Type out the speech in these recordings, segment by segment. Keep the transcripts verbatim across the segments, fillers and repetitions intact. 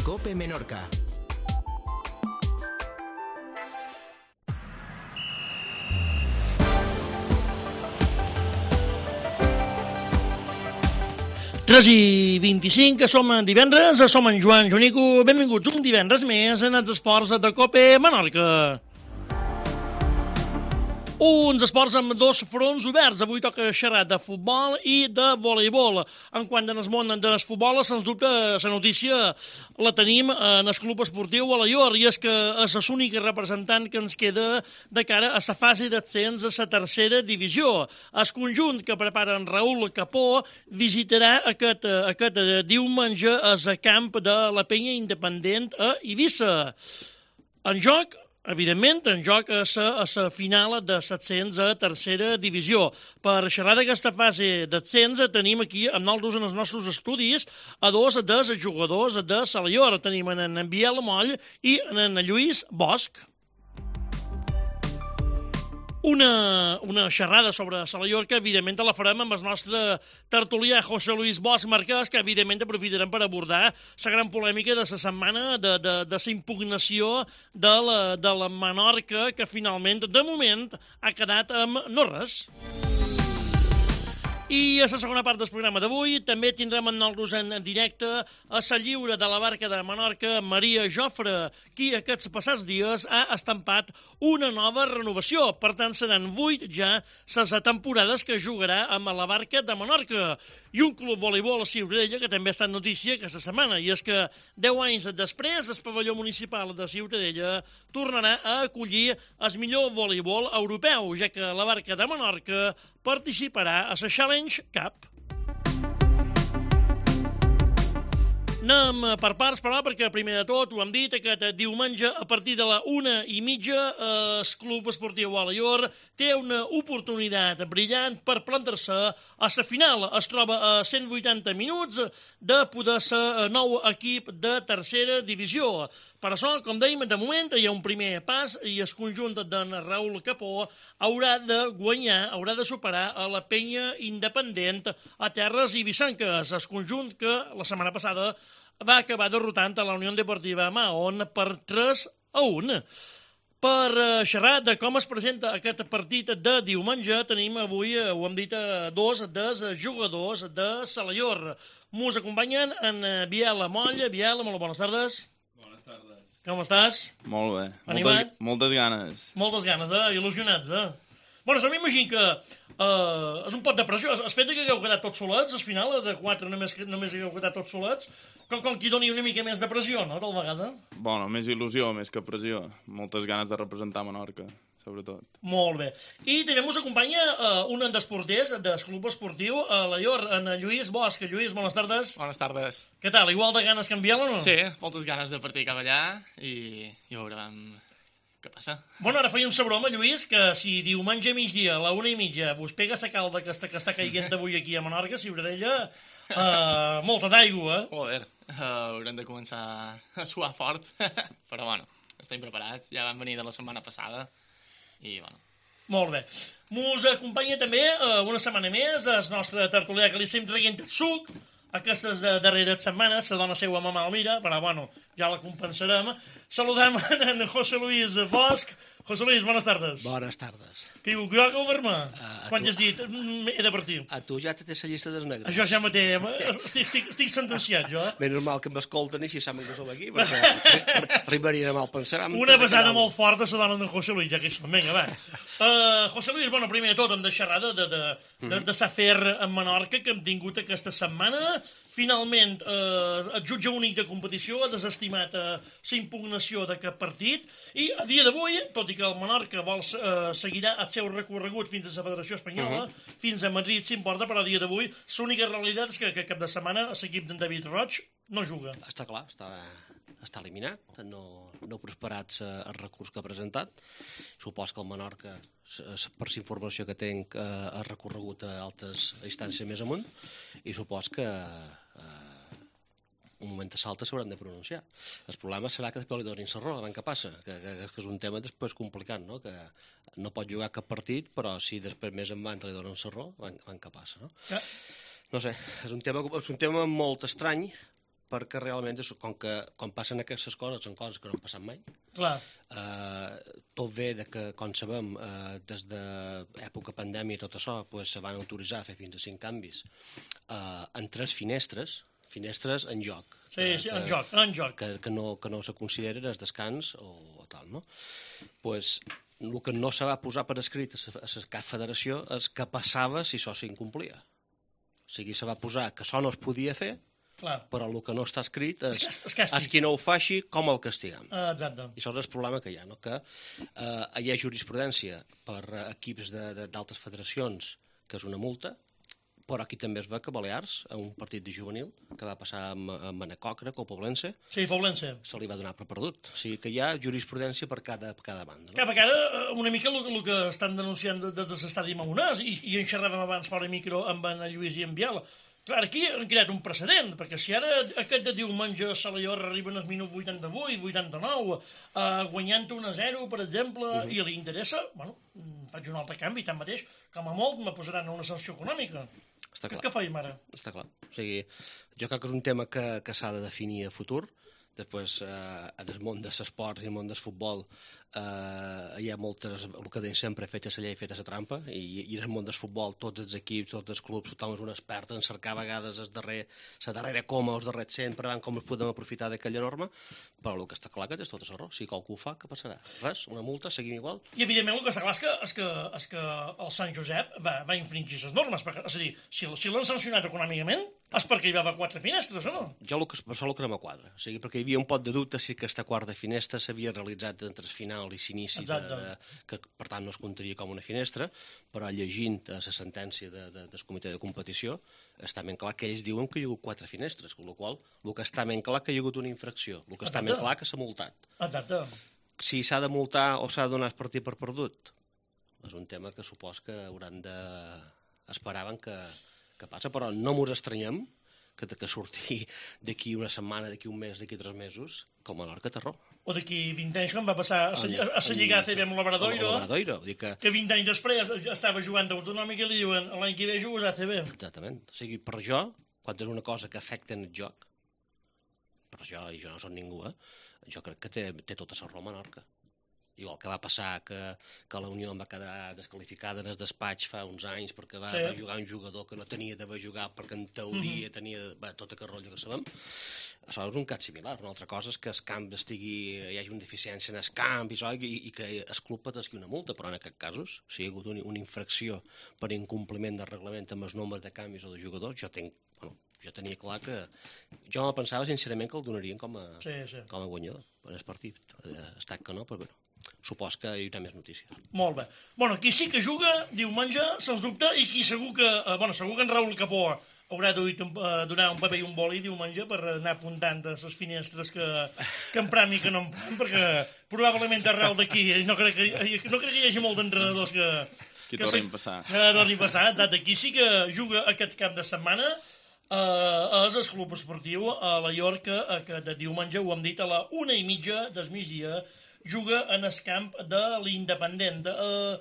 COPE Menorca. tres i vint-i-cinc, som en divendres, som en Joan Jonico, benvinguts un divendres més en els esports de COPE Menorca. Uns esports amb dos fronts oberts. Avui toca xerrar de futbol i de voleibol. En quant al món del futbol, sens dubte, la notícia la tenim en el club esportiu Alaior, i és que és l'únic representant que ens queda de cara a la fase d'ascens a la tercera divisió. El conjunt que prepara en Raül Capó visitarà aquest, aquest diumenge al camp de la Penya Independent a Eivissa. En joc, evidentment, en joc a la final de l'ascens a tercera divisió. Per xerrar d'aquesta fase d'ascens tenim aquí amb nosaltres en els nostres estudis a dos dels jugadors de l'Alaior. Tenim en Biel Moll i en Lluís Bosch. Una, una xerrada sobre l'Alaior que evidentment la farem amb el nostre tertulià José Luis Bosch Marquès, que evidentment aprofitarem per abordar la gran polèmica de la setmana de, de, de la impugnació de la, de la Menorca, que finalment, de moment, ha quedat amb no res. I a la segona part del programa d'avui també tindrem en nosaltres en directe a la lliure de la barca de Menorca, Maria Jofre, qui aquests passats dies ha estampat una nova renovació. Per tant, seran vuit ja les temporades que jugarà amb la barca de Menorca. I un club voleibol a Ciutadella que també ha estat notícia aquesta setmana, i és que deu anys després el pavelló municipal de Ciutadella tornarà a acollir el millor voleibol europeu, ja que la barca de Menorca participarà a la Challenge Cup. Anem per parts, però, perquè primer de tot, ho hem dit, aquest diumenge a partir de la una i mitja el Club Esportiu Alaior té una oportunitat brillant per plantar-se a la final. Es troba a cent vuitanta minuts de poder ser nou equip de tercera divisió. Per això, com dèiem, de moment hi ha un primer pas i el conjunt d'en Raül Capó haurà de guanyar, haurà de superar a la Penya Independent a terres eivissenques. El conjunt que la setmana passada va acabar derrotant a la Unió Deportiva Mahón per tres a un. Per xerrar de com es presenta aquest partit de diumenge, tenim avui, ho hem dit, dos dels jugadors de l'Alaior. Mos acompanyen en Biel Moll. Biel, molt bones tardes. Bones tardes. Com estàs? Molt bé. Animat? Moltes, moltes ganes. Moltes ganes, eh? Il·lusionats, eh? Bueno, jo m'imagino que uh, és un pot de pressió. El fet que hagueu quedat tots solets, al final, de quatre només, només hagueu quedat tots solets, com, com qui doni una mica més de pressió, no?, tal vegada. Bueno, més il·lusió, més que pressió. Moltes ganes de representar Menorca, sobretot. Molt bé. I també us acompanya uh, un dels porters del club esportiu Alaior, en Lluís Bosch. Lluís, bones tardes. Bones tardes. Què tal? Igual de ganes que en Biel o no? Sí, moltes ganes de partir cap allà i, i veurem què passa. Bueno, ara fèiem la broma, Lluís, que si diumenge a migdia, a la una i mitja, vos pega la calda que està, que està caiguent avui aquí a Menorca, Ciutadella, uh, molta d'aigua, eh? Joder, uh, haurem de començar a suar fort, però bueno, estem preparats, ja vam venir de la setmana passada i bueno. Molt bé. Mos acompanya també uh, una setmana més el nostre tertulià que li estem traient el suc. Aquestes de darreres setmanes, la dona seva mamà el mira, però bueno, ja la compensarem. Saludem en José Luis Bosch. José Luis, bones tardes. Bones tardes. Que diu, jo que ho vermà? Uh, Quan tu... has dit, he de partir. A tu ja te té la llista dels negres. Això ja me té, estic, estic, estic sentenciat, jo. Ben normal que m'escolten i si saben que som aquí, perquè arribarien a mal pensar. Una pesada molt forta a la dona d'en José Luis, ja que això, vinga, va. Uh, José Luis, bueno, primer de tot hem de xerrar de, de, de, de, de l'afer en Menorca que hem tingut aquesta setmana. Finalment, eh, el jutge únic de competició ha desestimat eh, la impugnació d'aquest partit i a dia d'avui, tot i que el Menorca vol, eh, seguirà el seu recorregut fins a la Federació Espanyola, uh -huh. fins a Madrid s'importa, però a dia d'avui l'única realitat és que, que cap de setmana l'equip d'en David Roig no juga. Està clar, està, està eliminat, no, no ha prosperat el recurs que ha presentat. Supos que el Menorca, per la informació que tinc, ha recorregut a altes instàncies més amunt i supos que eh, un moment de salta s'hauran de pronunciar. El problema serà que després li donin la raó, què passa? Que, que, que és un tema després complicat, no? Que no pot jugar cap partit, però si després més en van li donen la raó, què passa, no? Que... No sé, és un tema, és un tema molt estrany, perquè realment, és, com que quan passen aquestes coses, són coses que no han passat mai. Clar. Eh, tot ve de que, com sabem, eh, des de època pandèmia i tot això, pues, se van autoritzar a fer fins a cinc canvis eh, en tres finestres, finestres en joc. Sí, que, sí, que, en joc, en joc. Que, que, no, que no se considera el descans o, o tal, no? Pues, el que no se va posar per escrit a la cap federació és què passava si això s'incomplia. O sigui, se va posar que això no es podia fer, Clar. però el que no està escrit és, És, és càstig. és qui no ho faci, com el castiguem. Ah, exacte. I això és el problema que hi ha, no? Que eh, hi ha jurisprudència per eh, equips d'altres federacions, que és una multa, però aquí també es ve que Balears, a un partit de juvenil, que va passar amb, amb Manacocra, o Poblense, Sí, Poblense. se li va donar per perdut. O sigui que hi ha jurisprudència per cada, per cada banda. No? Cap a cara, una mica el, el que estan denunciant de, de, de l'estadi Maonàs, i, i en xerràvem abans fora micro amb en Lluís i en Biel. Clar, aquí han creat un precedent, perquè si ara aquest de diumenge a Salallor arriben al minut vuitanta-vuit, vuitanta-nou, eh, guanyant un a zero, per exemple, uh -huh. i li interessa, bueno, faig un altre canvi, tanmateix, com a molt me posaran una sanció econòmica. Està clar. Què faim ara? Està clar. O sigui, jo crec que és un tema que, que s'ha de definir a futur. Després, eh, en el món de l'esport i el món del futbol, eh, hi ha moltes, el que deien sempre, feta la llei, feta la trampa, i, i en el món del futbol, tots els equips, tots els clubs, tothom és un expert en cercar a vegades el darrer, la darrera coma, els darrers cent, per veure com es podem aprofitar d'aquella norma, però el que està clar que és tot error. Si qualcú ho fa, què passarà? Res, una multa, seguim igual. I, evidentment, el que està clar és que, és que, és que el Sant Josep va, va infringir les normes. Perquè, és a dir, si, si l'han sancionat econòmicament, és perquè hi va haver quatre finestres, o no? Jo el que, per això el que no me quadra. O sigui, perquè hi havia un pot de dubte si aquesta quarta finestra s'havia realitzat entre el final i l'inici, de, de, que per tant no es comptaria com una finestra, però llegint la sentència de, de, del comitè de competició està ben clar que ells diuen que hi ha hagut quatre finestres, amb la qual cosa el que està ben clar que hi ha hagut una infracció, el que està ben clar que s'ha multat. Exacte. Si s'ha de multar o s'ha de donar el partit per perdut, és un tema que supos que hauran de... esperaven que, que passa, però no mos estranyem que, que surti d'aquí una setmana, d'aquí un mes, d'aquí tres mesos, com a Menorca Terror. O d'aquí vint anys, quan va passar a la Lliga A C B amb l'Obradoiro, que... que vint anys després estava jugant d'autonòmic i li diuen l'any que ve jugues a A C B. Exactament. O sigui, per jo, quan és una cosa que afecta en el joc, per jo, i jo no soc ningú, eh, jo crec que té, té tota la raó Menorca. Igual que va passar que, que la Unió va quedar desqualificada en el despatx fa uns anys perquè va, sí. va jugar un jugador que no tenia d'haver jugat perquè en teoria mm-hmm. tenia va, tot aquest rotllo que sabem. Això és un cas similar. Una altra cosa és que el camp estigui, hi hagi una deficiència en el camp i, això, i, i que el club patisqui una multa, però en aquests casos, si hi ha hagut una, una infracció per incompliment del reglament amb els nombres de canvis o de jugadors, jo tenc, bueno, jo tenia clar que... Jo me pensava sincerament que el donarien com a, sí, sí. com a guanyador en el partit. Ha estat que no, però bueno. Supos que hi haurà més notícies. Molt bé. Bueno, qui sí que juga diumenge, sens dubte, i qui segur que... Eh, bueno, segur que en Raül Capó haurà de eh, donar un paper i un boli diumenge per anar apuntant a les finestres que, que empram i que no empram, perquè probablement arrel d'aquí no crec que, no crec que hi hagi molt d'entrenadors que... Que tornin a passar. Que tornin a passar, exacte. Qui sí que juga aquest cap de setmana eh, és el Club Esportiu a la Llorca, que de diumenge, ho hem dit, a la una i mitja del migdia, juga en el camp de l'Independent. Uh,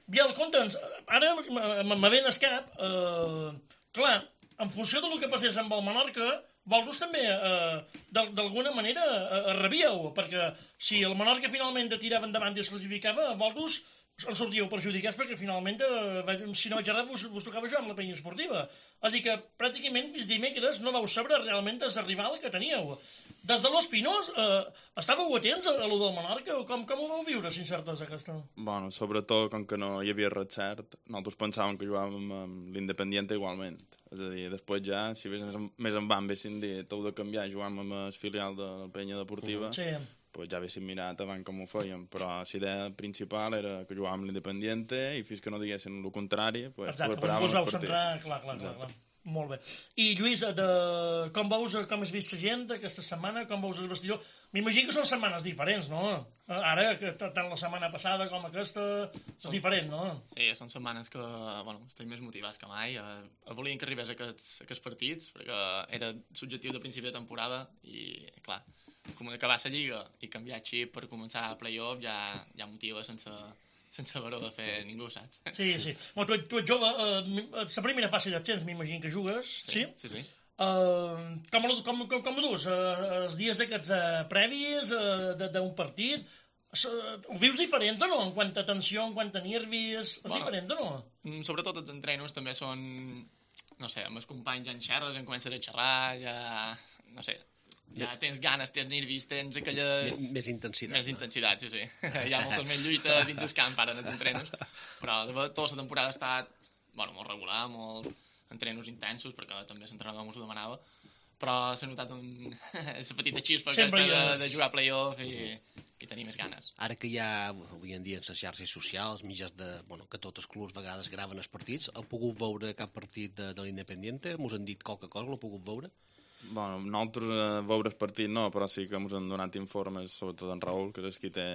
Biel, conta'ns, ara me ve en el cap, uh, clar, en funció del que passés amb el Menorca, vosaltres també, uh, d'alguna manera, uh, rebíeu, perquè si el Menorca finalment tirava endavant i es classificava, vosaltres en sortíeu perjudicats perquè finalment, eh, si no vaig errat, vos, vos tocava jugar amb la penya esportiva. Així que pràcticament fins dimecres no vau saber realment el rival que teníeu. Des de l'Espinós, eh, estàveu atents a, a lo del Menorca? Com, com ho vau viure, sin certesa, aquesta? Bueno, sobretot, com que no hi havia res cert, nosaltres pensàvem que jugàvem amb l'Independiente igualment. És a dir, després ja, si més, més en van haguessin dit, heu de canviar, jugàvem amb el filial de la penya deportiva, sí. Pues ja haguéssim mirat abans com ho fèiem, però la idea principal era que jugàvem amb l'Independiente i fins que no diguessin el contrari, pues, exacte, preparàvem el partit. Centrar, clar, clar, clar, clar. Molt bé. I Lluís, de... com veus, com has vist la gent aquesta setmana, com veus el vestidor? M'imagino que són setmanes diferents, no? Ara, que tant la setmana passada com aquesta, és diferent, no? Sí, són setmanes que, bueno, estem més motivats que mai. Eh, volien que arribés a aquests, a aquests partits, perquè era subjectiu de principi de temporada i, clar, com acabar la Lliga i canviar xip per començar a play-off ja, ja motiva sense, sense haver-ho de fer ningú, saps? Sí, sí. Bueno, tu, tu ets jove, eh, la primera fase d'ascens m'imagino que jugues, sí? Sí, sí. sí. Uh, com, com, com, com ho dus? Uh, els dies aquests uh, previs uh, d'un partit, uh, ho vius diferent o no? En quant a tensió, en quant a nervis, és bueno, diferent o no? Sobretot els entrenos també són, no sé, amb els companys ja en xerres, en comences a xerrar, ja, no sé, ja tens ganes, tens nervis, tens aquelles... Més, més intensitat. Més intensitat, sí, sí. Hi ha molta més lluita dins el camp ara en els entrenos, però de tota la temporada ha estat, bueno, molt regular, molt... entrenos intensos, perquè també l'entrenador m'ho demanava, però s'ha notat un... la petita xispa aquesta de, de jugar a play-off i, i tenir més ganes. Ara que hi ha, avui en dia, en les xarxes socials, mitjans de... Bueno, que tots els clubs a vegades graven els partits, heu pogut veure cap partit de, de l'Independiente? Mos han dit qualque cosa, l'heu pogut veure? Bueno, nosaltres eh, veure el partit no, però sí que ens han donat informes, sobretot en Raül, que és qui té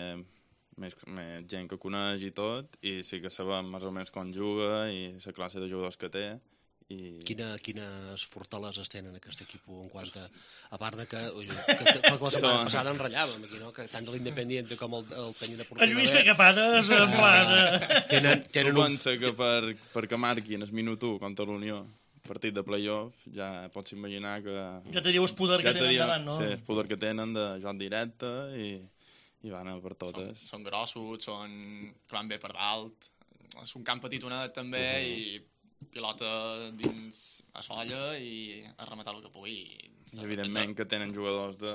més, més gent que coneix i tot, i sí que sabem més o menys com juga i la classe de jugadors que té. I... Quina, quines fortaleses tenen aquest equip en quant a... A part de que, que, que, que la setmana passada enratllàvem aquí, no? Que tant de l'Independiente com el, el Peña Deportiva... El Lluís Fecapades, en plan... Tenen, tenen un... pensa que per, perquè marquin el minut u contra l'Unió, partit de play-off, ja pots imaginar que... Ja te diu el poder que tenen davant, no? Sí, el poder que tenen de joc directe i, i van per totes. Són, són grossos, són, que van bé per dalt, és un camp petitonet també uh -huh. i... pilota dins a solla i a rematar el que pugui. I evidentment que tenen jugadors de,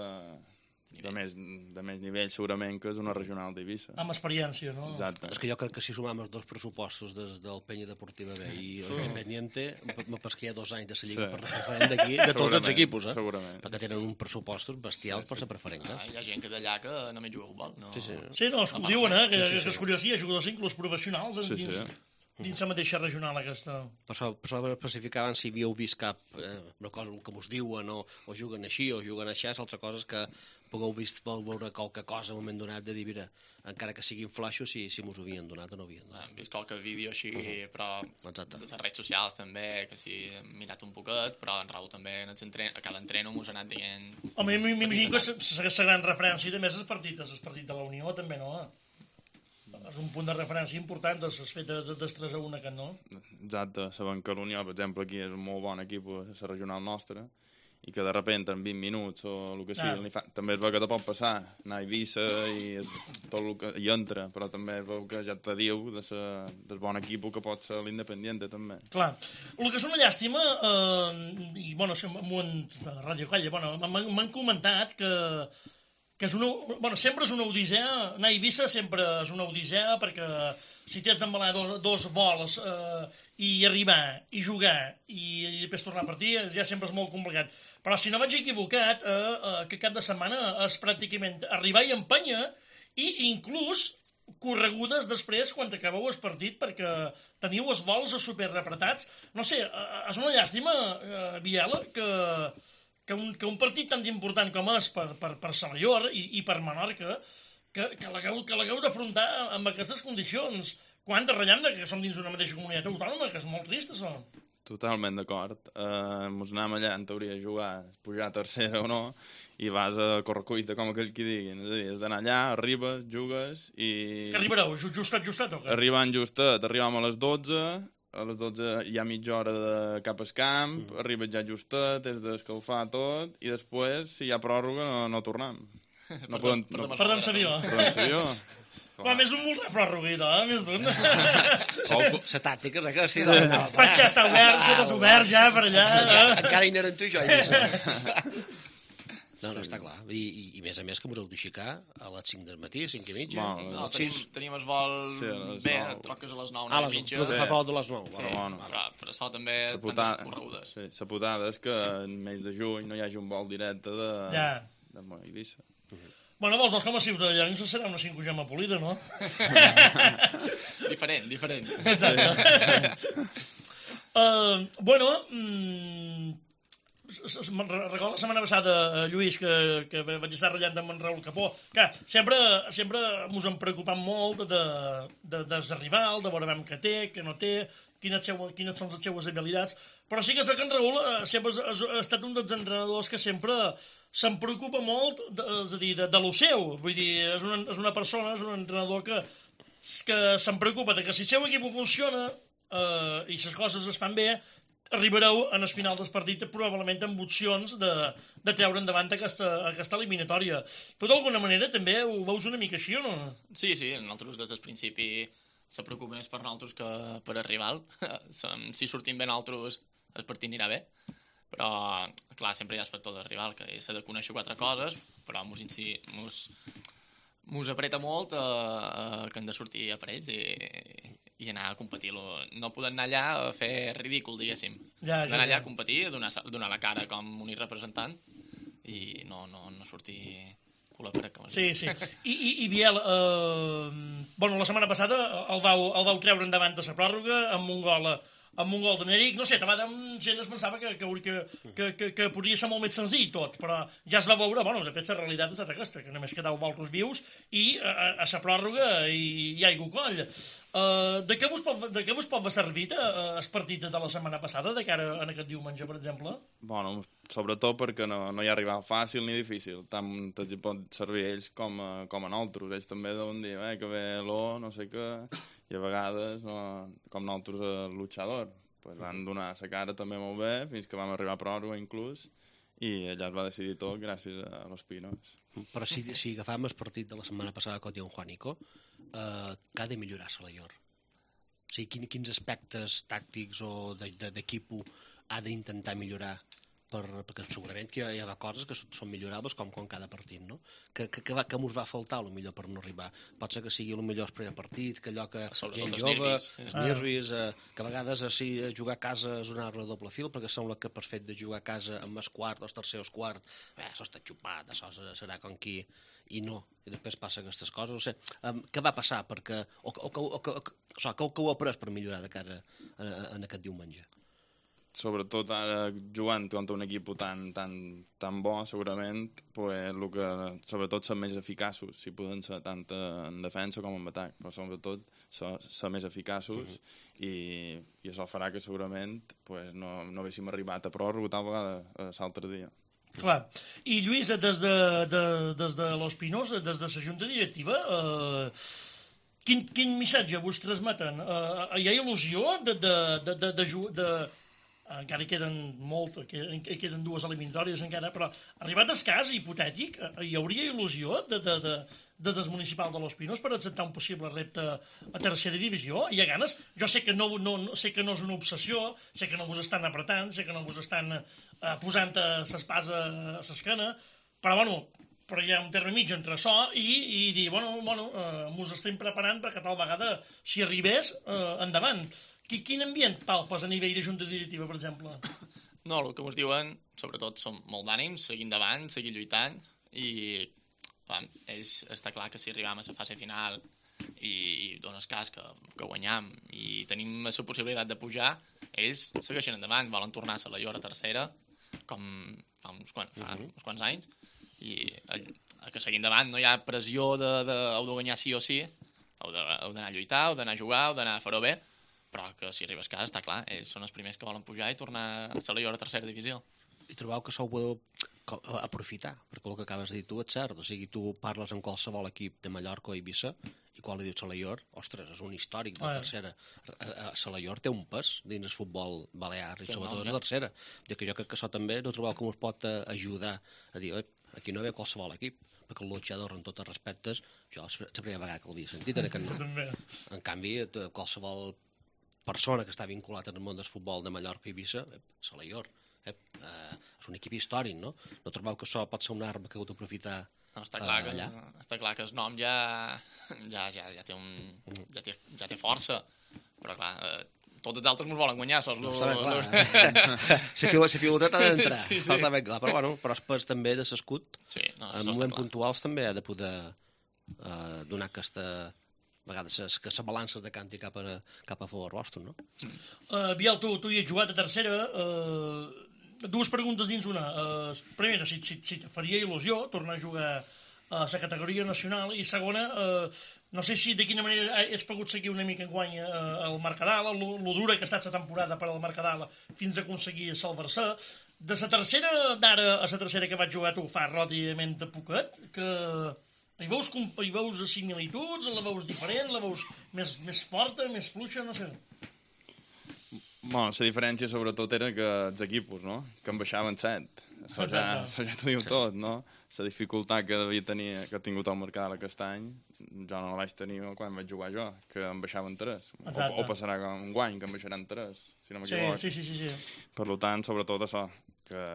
de, més, de més nivell, segurament que és una regional d'Eivissa. Amb experiència, no? Exacte. És que jo crec que si sumam els dos pressupostos des del Peña Deportiva B i l'Independiente, me pas que hi ha dos anys de la Lliga sí. per preferent d'aquí, de tots els equipos, eh? Segurament. Perquè tenen un pressupostos bestials sí, sí. per ser preferent. Ah, hi ha gent que d'allà que només juga a futbol. No... Sí, sí. Sí, no, es no diuen, eh? Que, sí, sí, sí. És curiós, hi ha jugadors inclús professionals sí, dins... Sí. dins la mateixa regional aquesta. Per això, per això especificaven si havíeu vist cap eh, una cosa que us diuen o, o juguen així o juguen així, altres coses que pugueu vist veure qualque cosa en un moment donat de dir, mira, encara que siguin flaixos, si, si mos ho havien donat o no havien donat. Hem vist qualque vídeo així, uh -huh. però exacte. De les redes socials també, que si hem mirat un poquet, però en Raül també en a cada entreno mos ha anat dient... Home, m'imagino que la gran referència també és el partit, el partit de la Unió també, no? És un punt de referència important, has fet de tres a un aquest, no? Exacte, sabem que l'Unió, per exemple, aquí és un molt bon equip a la regional nostra, i que de repente en vint minuts o el que sigui, ah. fa... també es veu que te pot passar, anar a Eivissa i tot el que hi entra, però també es veu que ja te diu de sa... del bon equip que pot ser l'Independiente, també. Clar, el que és una llàstima, eh, i bueno, m'ho han... Ràdio Calla, bueno, m'han comentat que que és una, bueno, sempre és una odissea, anar a Eivissa sempre és una odissea perquè si t'has d'embalar dos, dos vols eh, i arribar, i jugar i, i després tornar a partir, ja sempre és molt complicat. Però si no vaig equivocat, eh, eh, que cap de setmana és pràcticament arribar i empènyer i inclús corregudes després quan acabeu el partit perquè teniu els vols superrepretats. No sé, eh, és una llàstima, eh, Biela, que... Que un, que un partit tan important com és per, per, per Salallor i, i per Menorca, que, que l'hagueu d'afrontar amb aquestes condicions. Quanta rellamda que som dins una mateixa comunitat autònoma, que és molt trist, això. Totalment d'acord. Uh, mos anàvem allà, en teoria, a jugar, pujar a tercera o no, i vas a correcuita, com aquell que diguin. És a dir, has d'anar allà, arribes, jugues i... Que arribareu? Justet, justet o què? Arribant justet, arribàvem a les dotze... a les dotze hi ha mitja hora de cap al camp, mm. arribes ja justet, has d'escalfar tot, i després, si hi ha pròrroga, no, no tornem. No podem... No... Perdem l'avió. Perdem l'avió. Va, més un molt de pròrroga, eh? Més d'un. La tàctica és que sí. Pas ja està obert, està tot obert ja per allà. Encara hi anaren tu i jo. No, no, està clar. I, i, i més a més que m'ho heu d'aixecar a les cinc del matí, cinc i mitja. Bueno, no, tenim, tenim el vol sí, bé, troques a les nou, nou i mitja. Ah, fa vol de les nou. Sí, bueno, bueno. Però, però això també putada, tantes corregudes. Sí, la putada és que en mes de juny no hi hagi un vol directe de, ja. de Eivissa. Uh -huh. Bueno, vols, com a ciutadans serà una cinquogema polida, no? Diferent, diferent. Exacte. uh, bueno, mm, recordo la setmana passada, Lluís, que, que vaig estar ratllant amb en Raül Capó, que sempre, sempre mos hem preocupat molt de, de, de, de rival, de veure què té, què no té, quines, seu, quines són les seues habilitats, però sí que és que en Raül sempre ha estat un dels entrenadors que sempre se'n preocupa molt, de, és a dir, de, de lo seu, vull dir, és una, és una persona, és un entrenador que, que se'n preocupa de que si el seu equip funciona eh, i les coses es fan bé, arribareu en el final del partit probablement amb opcions de, de treure endavant aquesta, aquesta eliminatòria. Tu d'alguna manera també ho veus una mica així o no? Sí, sí, nosaltres des del principi se preocupa més per nosaltres que per el rival. Si sortim bé nosaltres el partit anirà bé, però clar, sempre hi ha el factor del rival, que s'ha de conèixer quatre coses, però mos, mos, mos apreta molt eh, eh, que hem de sortir a parells i, i anar a competir. No podem anar allà a fer ridícul, diguéssim. Ja, ja, anar allà ja. a competir, a donar, donar la cara com un representant i no, no, no sortir cul a paret. Sí, sí. I, i, i Biel, eh, bueno, la setmana passada el vau, el vau treure endavant de la pròrroga amb un gol amb un gol d'Eneric, no sé, davant gent es pensava que, que, que, que, que podria ser molt més senzill tot, però ja es va veure, bueno, de fet la realitat és aquesta, que només quedau vosaltres vius i a, a la pròrroga hi, hi ha aigua coll. Uh, de, què vos pot, de què vos pot servir uh, el partit de la setmana passada, de cara a aquest diumenge, per exemple? Bueno, sobretot perquè no, no hi ha arribat fàcil ni difícil, tant els hi pot servir ells com a, com a nosaltres. Ells també deuen dir eh, que ve l'O, no sé què, i a vegades, no, com nosaltres, el luchador, pues van donar la cara també molt bé, fins que vam arribar a pròrroga inclús, i allà es va decidir tot gràcies a los Pinos. Però si, si agafam el partit de la setmana passada contra un Juanico, eh, que ha de millorar Salaior? O sigui, quin, quins aspectes tàctics o d'equip ha d'intentar millorar? Per, perquè segurament que hi ha, hi ha coses que són millorables com, com cada partit, no? Que, que, que, va, que mos va faltar, potser per no arribar. Pot ser que sigui potser el primer partit, que allò que gent jove, els nervis, eh, que a vegades sí, jugar a casa és un arbre de doble fil, perquè sembla que per fet de jugar a casa amb el quart, els tercers quart, eh, això està xupat, això serà com qui... I no, i després passa aquestes coses. No sé, um, què va passar? Perquè, o, o, o, o, o, o, o que ho ha après per millorar de cara a, a, a aquest diumenge? Sobretot ara jugant contra un equip tan, tan, tan bo, segurament, pues, el que, sobretot ser més eficaços, si poden ser tant en defensa com en atac, però sobretot ser, ser més eficaços uh -huh. i, i això farà que segurament pues, no, no haguéssim arribat a pròrroga tal vegada l'altre dia. Clar. I Lluís, des de, de, des de Los Pinos, des de la Junta Directiva, eh, quin, quin missatge vos transmeten? Eh, hi ha il·lusió de, de, de, de, de, de, de encara hi queden molt, hi queden dues eliminatòries encara, però arribat el cas hipotètic, hi hauria il·lusió de, de, de, de des municipal de Los Pinos per acceptar un possible repte a tercera divisió? Hi ha ganes? Jo sé que no, no, sé que no és una obsessió, sé que no vos estan apretant, sé que no vos estan eh, posant l'espasa a l'esquena, però bueno, però hi ha un terme mig entre això i, i dir, bueno, bueno eh, mos estem preparant perquè tal vegada, si arribés, eh, endavant. Quin ambient palpes a nivell de junta directiva, per exemple? No, el que us diuen, sobretot, són molt d'ànims, seguir endavant, seguir lluitant, i clar, ells, està clar que si arribam a la fase final i, i dones cas que, que guanyam i tenim la possibilitat de pujar, ells segueixen endavant, volen tornar a Salaior a tercera, com fa uns, quan, fa uh -huh. uns quants anys, i el, el que seguir endavant no hi ha pressió de, de, heu de guanyar sí o sí, heu d'anar a lluitar, heu d'anar a jugar, heu d'anar a fer-ho bé, però que si arribes a casa, està clar, ells són els primers que volen pujar i tornar a Salaior a tercera divisió. I trobeu que això ho podeu aprofitar, perquè el que acabes de dir tu és cert, o sigui, tu parles amb qualsevol equip de Mallorca o Eivissa, i quan li dius Salaior, ostres, és un històric de la tercera. Salaior té un pes dins el futbol balear, i sobretot en la tercera. I que jo crec que això també no trobeu com us pot ajudar a dir, aquí no ve qualsevol equip, perquè el luchador, en tots els respectes, jo és la primera vegada que l'havia sentit, en aquest no. En canvi, qualsevol persona que està vinculat en el món del futbol de Mallorca i Eivissa, eh, Salaior, eh, eh, és un equip històric, no? No trobeu que això pot ser una arma que heu d'aprofitar no, està clar eh, allà? Que, està clar que el nom ja, ja, ja, ja, té, un, ja, té, ja té força, però clar, eh, tots els altres ens volen guanyar, sols no, no, clar. La pilotet ha d'entrar, sí, sí. Està ben clar, però bueno, però després també de l'escut, sí, no, en moments puntuals també ha de poder eh, donar aquesta... a vegades que se balances de canti cap a, cap a favor vostre, no? Uh, Biel, tu, tu hi has jugat a tercera. Uh, dues preguntes dins una. Uh, primera, si, si, si te faria il·lusió tornar a jugar a la categoria nacional, i segona, uh, no sé si de quina manera has pogut seguir una mica enguany uh, el Mercadal, lo, lo dura que ha estat la temporada per al Mercadal fins a aconseguir salvar-se. De la tercera d'ara a la tercera que vaig jugar tu fa relativament de poquet, que... Hi veus, hi veus similituds, la veus diferent, la veus més, més forta, més fluixa, no sé. Bueno, la diferència sobretot era que els equipos, no?, que en baixaven set. Això ja, això ja t'ho diu sí. tot, no? La dificultat que devia tenir, que ha tingut el mercat aquest any, jo no la vaig tenir quan vaig jugar jo, que en baixaven tres. O, o passarà un guany, que en baixaran tres, si no m'equivoco. Sí, sí, sí, sí, sí. Per tant, sobretot això, que,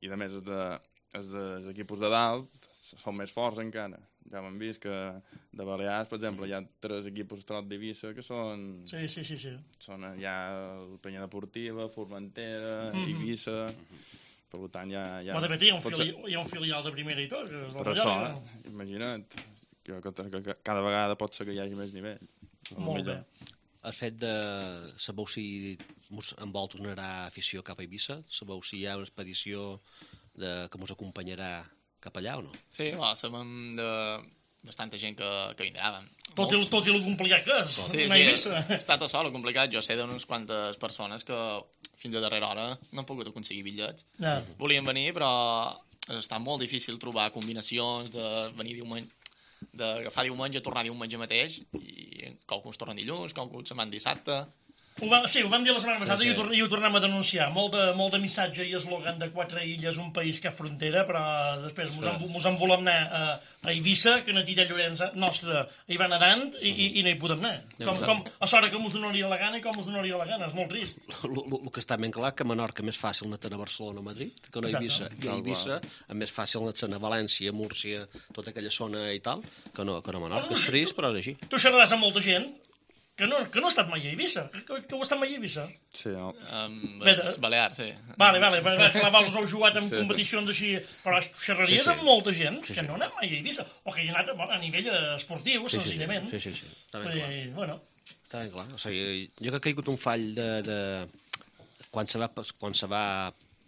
i a més els, de, els, de, els equipos de dalt són més forts encara. Ja hem vist que de Balears, per exemple, hi ha tres equipos Trot d'Eivissa que són... Sí, sí, sí, sí. Són ja el Penya Deportiva, Formentera, mm-hmm. Eivissa... Mm-hmm. Per tant, ja... ja de fet, hi ha, un fili... hi ha un filial de primera i tot. Que és per això, eh? Imagina't, que, que, que cada vegada pot ser que hi hagi més nivell. Molt bé. El fet de... Sabeu si en vol tornarà afició cap a Eivissa? Sabeu si hi ha una expedició de... que ens acompanyarà cap allà o no? Sí, va, sabem de bastanta gent que, que vindrà. Tot i, tot i el complicat que és, sí, anar a Eivissa. Sí, està tot sol, complicat. Jo sé d'unes quantes persones que fins a darrera hora no han pogut aconseguir bitllets. Ja. Volien venir, però està molt difícil trobar combinacions de venir diumenge, d'agafar diumenge, tornar diumenge mateix, i qualcuns tornen dilluns, qualcuns se'n van dissabte. Ho va, sí, ho vam dir la setmana passada, sí, sí. I, ho, i ho tornem a denunciar. Molt de, molt de missatge i eslògan de quatre illes, un país que ha frontera, però després mos, sí. en, mos en volem anar a, a Eivissa, que Natilla Llorenç nostra hi va nedant i, i, i no hi podem anar. Com, com, a sort que mos donaria la gana i com mos donaria la gana, és molt trist. El que està ben clar que a Menorca és més fàcil anar a Barcelona o Madrid que no a Eivissa. I a Eivissa és més fàcil anar a València, Múrcia, tota aquella zona i tal, que no, que no a Menorca. És trist, però és així. Tu xerraràs amb molta gent que no, que no ha estat mai a Eivissa, que, que ho ha estat mai a Eivissa. Sí, no. Um, és Balear, sí. Vale, vale, clar, us heu jugat en sí, competicions sí. així, però xerraries sí, sí. amb molta gent sí, sí. que no ha anat mai a Eivissa, o que hi ha anat a, a nivell esportiu, sí, senzillament. Sí, sí, sí, sí. Està ben clar. I, bueno. Està ben clar. O sigui, jo que ha caigut un fall de... de... Quan se va, quan se va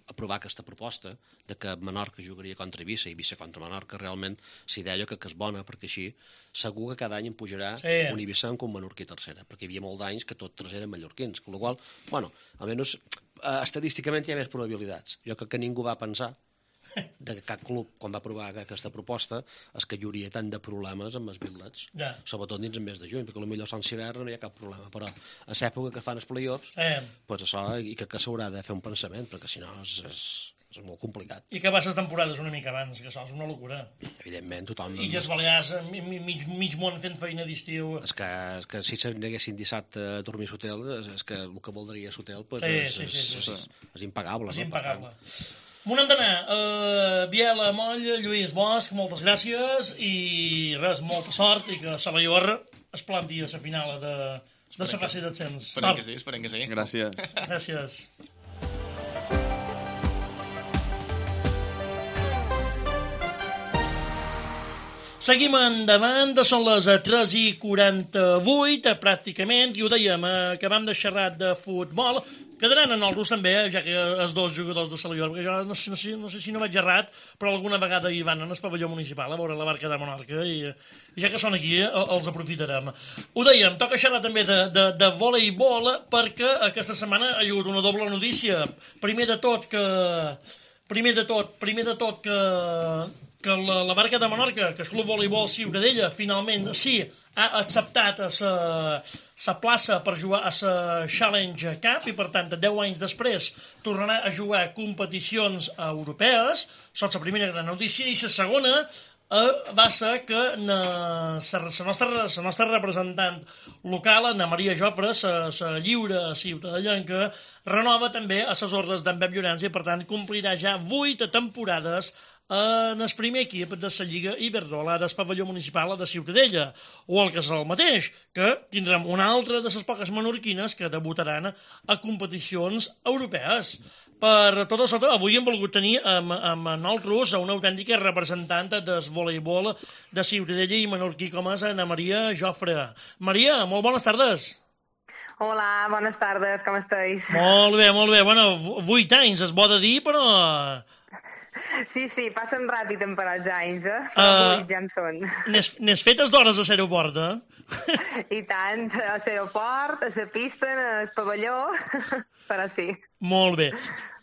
aprovar aquesta proposta de que Menorca jugaria contra Eivissa i Eivissa contra Menorca, realment s'hi deia que, que és bona, perquè així segur que cada any em pujarà sí. un Eivissa com un menorquí tercera, perquè hi havia molts d'anys que tots tres eren mallorquins, amb la qual cosa, bueno, almenys eh, estadísticament hi ha més probabilitats. Jo crec que ningú va pensar de que cap club, quan va aprovar aquesta proposta, és que hi hauria tant de problemes amb els bitlets, ja. sobretot dins el mes de juny, perquè potser Sant Hivern no hi ha cap problema, però a l'època que fan els play-offs, eh. pues això, i que, que s'haurà de fer un pensament, perquè si no és, és, és molt complicat. I que va les temporades una mica abans, que això és una locura. Evidentment, tothom... Illes Balears, mig, mig món fent feina d'estiu... És que, és que si s'aneguessin dissabte a dormir a l'hotel, és, és que el que voldria l'hotel pues, sí, és, sí, sí, sí, és, sí. és, és impagable. És no? impagable. M'ho n'hem d'anar. Uh, Biela, Moll, Lluís Bosch, moltes gràcies i res, molta sort i que Salaior es planti a la final de, de la classe d'ascens. Esperem que sí, esperem que sí. Gràcies. Gràcies. Seguim endavant, són les tres i quaranta-vuit, pràcticament, i ho dèiem, acabem de xerrar de futbol. Quedaran en els també, ja que els dos jugadors de Salaior, perquè jo no sé, no, sé, no sé si no vaig errat, però alguna vegada hi van en el pavelló municipal a veure la barca de Menorca, i, i ja que són aquí, els aprofitarem. Ho dèiem, toca xerrar també de, de, de voleibol, perquè aquesta setmana ha hagut una doble notícia. Primer de tot que... Primer de tot, primer de tot que... que la, la barca de Menorca, que és Club Voleibol Ciutadella, finalment sí ha acceptat a sa, sa plaça per jugar a la Challenge Cup i, per tant, deu anys després tornarà a jugar competicions europees. Això és la primera gran notícia. I la segona eh, va ser que la nostra, la nostra representant local, Ana Maria Jofre, la lliure ciutadellenca, renova també a les ordres d'en Pep Llorenç i, per tant, complirà ja vuit temporades en el primer equip de la Lliga Iberdrola del pavelló municipal de Ciutadella, o el que és el mateix, que tindrem una altra de les poques menorquines que debutaran a competicions europees. Per tot això, avui hem volgut tenir amb, amb nosaltres una autèntica representant del voleibol de Ciutadella i menorquí com és Ana Maria Jofre. Maria, molt bones tardes. Hola, bones tardes, com esteu? Molt bé, molt bé. Bueno, vuit anys, es bo de dir, però... Sí, sí, passen ràpid en per als anys, eh? Uh, ja en són. N'és fetes d'hores a l'aeroport, eh? I tant, a l'aeroport, a la pista, al pavelló, però sí. Molt bé.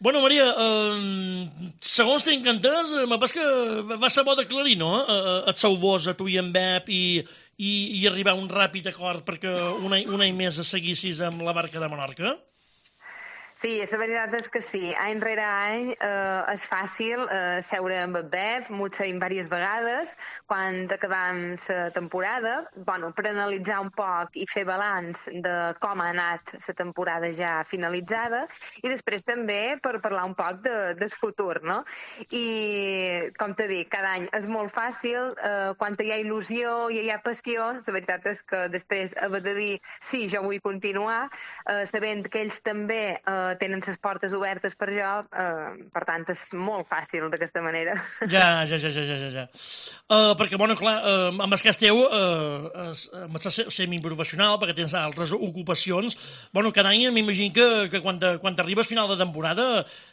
Bueno, Maria, eh, segons tinc entès, m'ha que va ser bo d'aclarir, no?, et seu vos a tu i en Bep i, i, i arribar a un ràpid acord perquè un any, un any més seguissis amb la barca de Menorca? Sí, la veritat és que sí. Any rere any eh, és fàcil eh, seure amb el Bep, m'ho sabem diverses vegades, quan acabam la temporada, bueno, per analitzar un poc i fer balanç de com ha anat la temporada ja finalitzada, i després també per parlar un poc de, del futur, no? I, com t'he dit, cada any és molt fàcil, eh, quan hi ha il·lusió i hi ha passió, la veritat és que després haver de dir sí, jo vull continuar, eh, sabent que ells també eh, tenen les portes obertes per jo, eh, per tant, és molt fàcil d'aquesta manera. Ja, ja, ja, ja, ja, ja. Uh, perquè, bueno, clar, uh, amb el cas teu, uh, amb el semiprofessional, perquè tens altres ocupacions, bueno, cada any m'imagino que, que quan, te, quan t'arribes final de temporada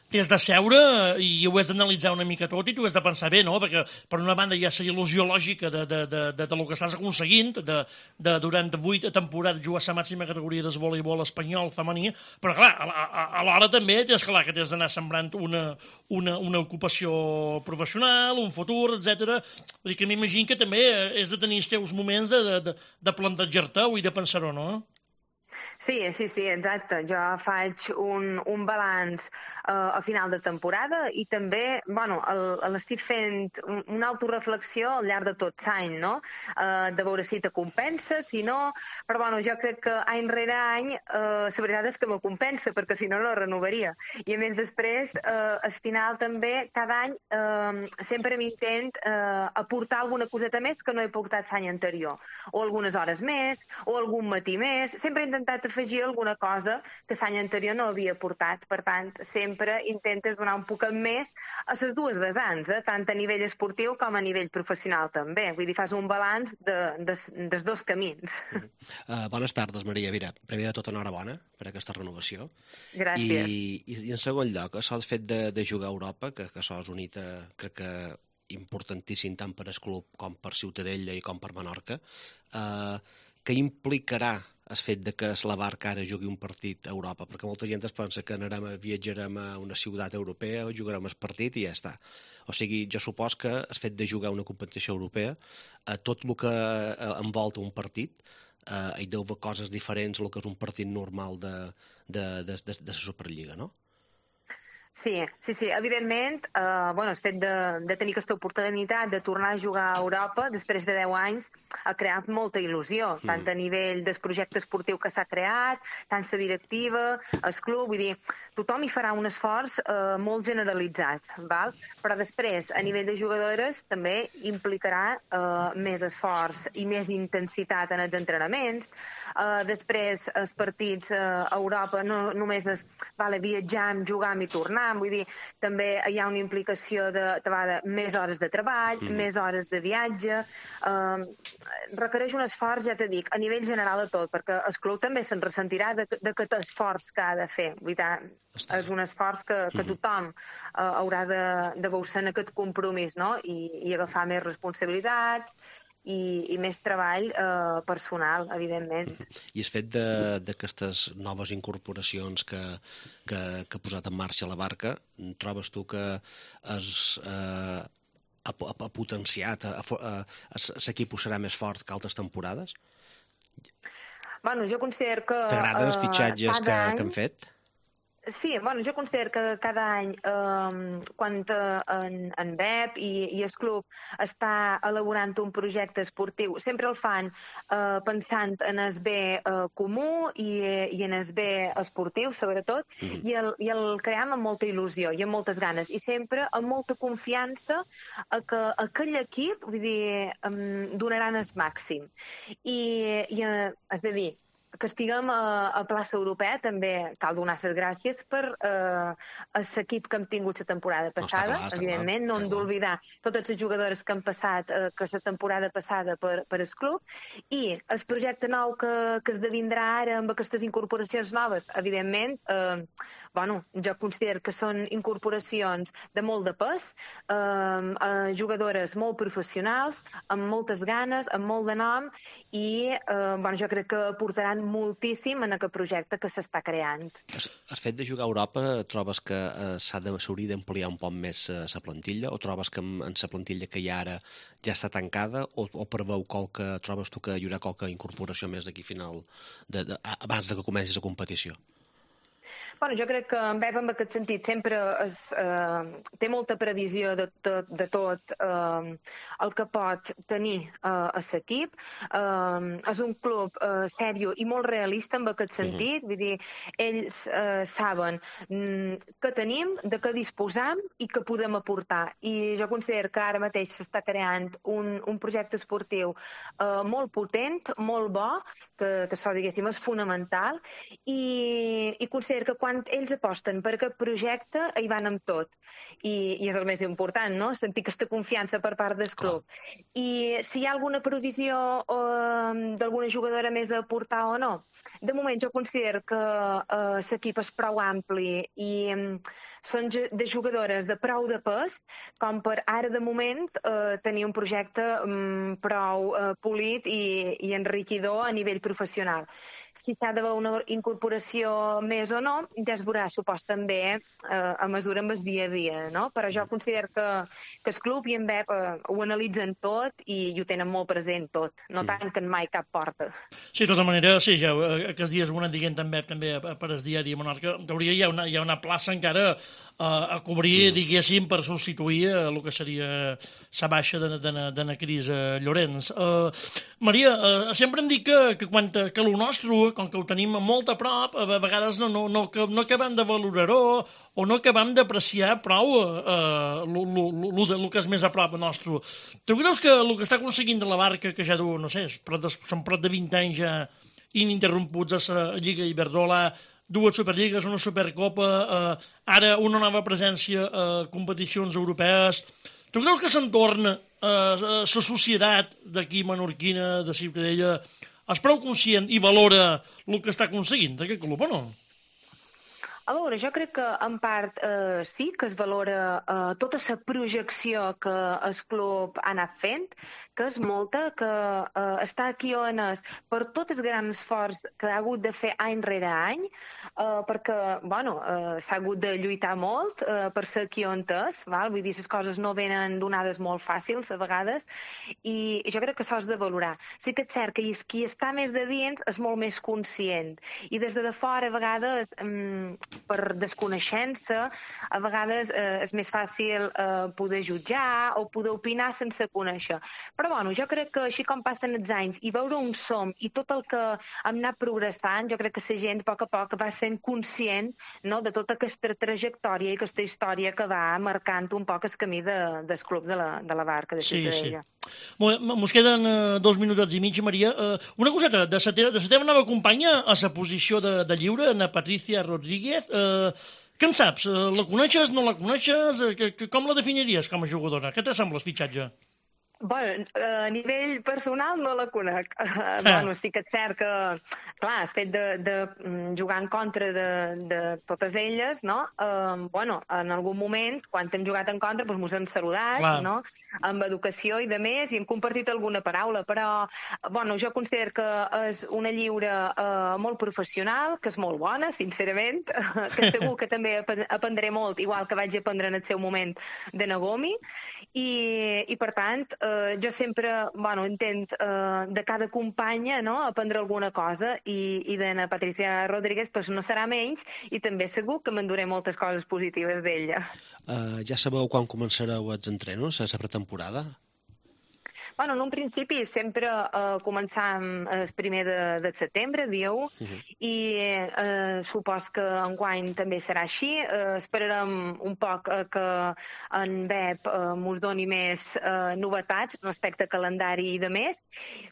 t'has de seure i ho has d'analitzar una mica tot i t'ho has de pensar bé, no? Perquè, per una banda, hi ha la il·lusió lògica de, de, de, de, de lo que estàs aconseguint, de, de durant vuit temporades jugar a la màxima categoria del voleibol espanyol femení, però, clar, alhora també tens clar que t'has d'anar sembrant una, una, una ocupació professional, un futur, etcètera. Vull dir que m'imagino que també has de tenir els teus moments de, de, de, de plantejar-te-ho i de pensar-ho, no? Sí, sí, sí, exacte. Jo faig un, un balanç eh, a final de temporada i també, bueno, l'estic fent un, una autoreflexió al llarg de tot l'any, no? Eh, de veure si te compensa, si no, però bueno, jo crec que any rere any eh, la veritat és que me compensa, perquè si no, no renovaria. I a més després, eh, al final també, cada any eh, sempre m'intent eh, aportar alguna coseta més que no he portat l'any anterior, o algunes hores més, o algun matí més, sempre he intentat afegir alguna cosa que l'any anterior no havia portat. Per tant, sempre intentes donar un poc més a les dues vessants, eh? Tant a nivell esportiu com a nivell professional també. Vull dir, fas un balanç de, de, dels dos camins. Mm -hmm. uh, bones tardes, Maria. Mira, primer de tot, enhorabona per aquesta renovació. Gràcies. I, i, i en segon lloc, això el fet de, de jugar a Europa, que, que això és unit a, crec que importantíssim tant per al club com per Ciutadella i com per Menorca, uh, que implicarà el fet de que la Barca ara jugui un partit a Europa, perquè molta gent es pensa que anarem a, viatjarem a una ciutat europea, jugarem el partit i ja està. O sigui, jo supos que el fet de jugar una competició europea, eh, tot el que eh, envolta un partit, eh, hi deu haver coses diferents del que és un partit normal de, de, de, de, de la Superliga, no? Sí, sí, sí. Evidentment, eh, bueno, el fet de, de tenir aquesta oportunitat de tornar a jugar a Europa després de deu anys ha creat molta il·lusió, tant a nivell del projecte esportiu que s'ha creat, tant la directiva, el club, vull dir, tothom hi farà un esforç eh, molt generalitzat, val? Però després, a nivell de jugadores, també implicarà eh, més esforç i més intensitat en els entrenaments. Eh, després, els partits eh, a Europa no només és vale, viatjar, jugar i tornar, vull dir, també hi ha una implicació de, de, de més hores de treball, mm. més hores de viatge, eh, requereix un esforç, ja t'he dit, a nivell general de tot, perquè el club també se'n ressentirà de, de aquest esforç que ha de fer. Vull dir, és un esforç que, que tothom eh, haurà de, de veure en aquest compromís, no? I, i agafar més responsabilitats, i, i més treball eh, personal, evidentment. I el fet d'aquestes noves incorporacions que, que, que ha posat en marxa la Barca, trobes tu que és, eh, ha, ha potenciat, l'equip serà més fort que altres temporades? Bueno, jo considero que... T'agraden els fitxatges que, any... que han fet? Sí, bueno, jo considero que cada any, eh, quan en, en Bep i, i el club està elaborant un projecte esportiu, sempre el fan eh, pensant en el bé eh, comú i, i en el bé esportiu, sobretot, mm. i, el, i el cream amb molta il·lusió i amb moltes ganes, i sempre amb molta confiança a que aquell equip, vull dir, um, donaran el màxim. I, i eh, és a dir, que estiguem a, a plaça europea també cal donar les gràcies per eh, l'equip que hem tingut la temporada passada, no, clar, evidentment, clar, no hem d'oblidar totes les jugadores que han passat eh, que la temporada passada per, per el club, i el projecte nou que, que esdevindrà ara amb aquestes incorporacions noves, evidentment, eh, bueno, jo considero que són incorporacions de molt de pes, eh, eh, jugadores molt professionals, amb moltes ganes, amb molt de nom, i eh, bueno, jo crec que aportaran moltíssim en aquest projecte que s'està creant. El fet de jugar a Europa, trobes que eh, s'hauria d'ampliar un poc més la eh, plantilla, o trobes que en la plantilla que hi ha ara ja està tancada, o, o preveu qualque, trobes tu que hi haurà qualque incorporació més d'aquí final, de, de, abans de que comenci la competició? Bueno, jo crec que en Pep, en aquest sentit, sempre es, eh, té molta previsió de, de, de tot eh, el que pot tenir eh, a l'equip. Eh, és un club eh, sèrio i molt realista en aquest sentit. Uh-huh. Vull dir, ells eh, saben mm, què tenim, de què disposam i què podem aportar. I jo considero que ara mateix s'està creant un, un projecte esportiu eh, molt potent, molt bo, que, que això, diguéssim, és fonamental, i, i considero que quan ells aposten per aquest projecte hi van amb tot. I, i és el més important, no? Sentir aquesta confiança per part del club. I si hi ha alguna provisió eh, d'alguna jugadora més a aportar o no, de moment jo considero que eh, l'equip és prou ampli i eh, són de jugadores de prou de pes com per ara de moment eh, tenir un projecte eh, prou eh, polit i, i enriquidor a nivell professional. Si s'ha d'haver una incorporació més o no, ja es veurà, supos també, eh, a mesura amb el dia a dia, no? Però jo considero que, que el club i en Pep eh, ho analitzen tot i, i ho tenen molt present tot, no mm. tanquen mai cap porta. Sí, de tota manera, sí, ja, aquests dies ho han dient en Pep també per el diari Menorca, en teoria hi ha una, hi ha una plaça encara eh, a cobrir, mm. diguéssim, per substituir eh, el que seria la baixa de, de, de, de na Cris eh, Llorenç. Eh, Maria, eh, sempre em dic que, que quan que el nostre, com que ho tenim molt a prop, a vegades no, no, no, no acabem de valorar-ho o no acabem d'apreciar prou el que és més a prop nostre. Tu creus que el que està aconseguint de la Barca, que ja du, no sé, són prop de vint anys ja ininterromputs a la Lliga Iberdrola, dues Superligues, una Supercopa, eh, ara una nova presència a competicions europees. Tu creus que s'entorna a la societat d'aquí menorquina, de Ciutadella, és prou conscient i valora el que està aconseguint aquest club, o no? A veure, jo crec que en part eh, sí, que es valora eh, tota la projecció que el club ha anat fent, que és molta, que eh, està aquí on és per tot el gran esforç que ha hagut de fer any rere any, eh, perquè, bueno, eh, s'ha hagut de lluitar molt eh, per ser aquí on és, val? Vull dir, les coses no venen donades molt fàcils a vegades, i, i jo crec que això és de valorar. Sí que és cert que qui està més de dins és molt més conscient, i des de fora a vegades mm, per desconeixença, a vegades eh, és més fàcil eh, poder jutjar o poder opinar sense conèixer. Però bueno, jo crec que així com passen els anys i veure on som i tot el que hem anat progressant, jo crec que la gent a poc a poc va sent conscient, no, de tota aquesta trajectòria i aquesta història que va marcant un poc el camí de, del club de la, de la Barca, de Ciutadella. Sí, sí. Molt bé, mos queden uh, dos minuts i mig, Maria. Uh, una coseta, de la teva, teva nova companya a la posició de, de lliure, na Patricia Rodríguez, uh, què en saps? Uh, la coneixes, no la coneixes? Uh, que, que, com la definiries com a jugadora? Què te sembla el fitxatge? Bueno, a nivell personal no la conec. Ah. Bueno, sí que és cert que, clar, el fet de, de jugar en contra de, de totes elles, no? Uh, bueno, en algun moment, quan hem jugat en contra, doncs mos hem saludat, clar, no? Amb educació i de més, i hem compartit alguna paraula, però, bueno, jo considero que és una lliure uh, molt professional, que és molt bona, sincerament, que segur que també aprendré molt, igual que vaig aprendre en el seu moment de Nagomi, i, i per tant, Uh, jo sempre, bueno, intent uh, de cada companya, no?, aprendre alguna cosa, i, i de na Patricia Rodríguez pues, no serà menys, i també segur que m'enduré moltes coses positives d'ella. Uh, ja sabeu quan començareu els entrenos, a la pretemporada? Bueno, en un principi sempre eh, començam el primer de, de setembre, dia u, uh-huh. i eh, supos que enguany també serà així. Eh, esperarem un poc eh, que en Pep eh, mos doni més eh, novetats respecte a calendari i de més,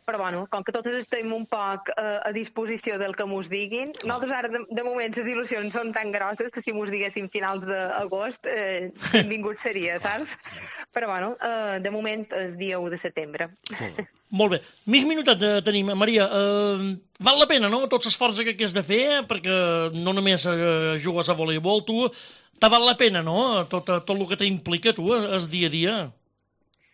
però bueno, com que totes estem un poc eh, a disposició del que mos diguin, oh. nosaltres ara de, de moment les il·lusions són tan grosses que si mos diguéssim finals d'agost, eh, benvingut seria, saps? Però bueno, eh, de moment és dia u de setembre. Molt bé. Molt bé. Mig minutet eh, tenim. Maria, eh, val la pena, no?, tot l'esforç que has de fer, perquè no només eh, jugues a voleibol, tu, te val la pena, no?, tot, tot el que t'implica, tu, el dia a dia.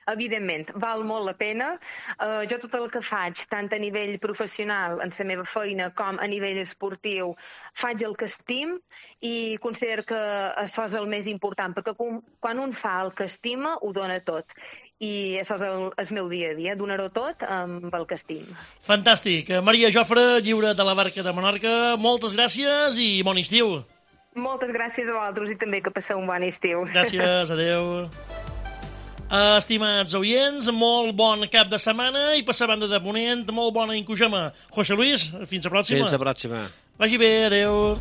Evidentment, val molt la pena. Uh, jo tot el que faig, tant a nivell professional, en la meva feina, com a nivell esportiu, faig el que estim, i considero que això és el més important, perquè quan un fa el que estima, ho dona tot. I això és el, el meu dia a dia, donar-ho tot amb el que estim. Fantàstic. Maria Jofre, lliure de la Barca de Menorca, moltes gràcies i bon estiu. Moltes gràcies a vosaltres i també que passeu un bon estiu. Gràcies, adeu. Estimats oients, molt bon cap de setmana i passar banda de ponent, molt bona incujama. José Luis, fins a pròxima. Fins a pròxima. Vagi bé, adeu.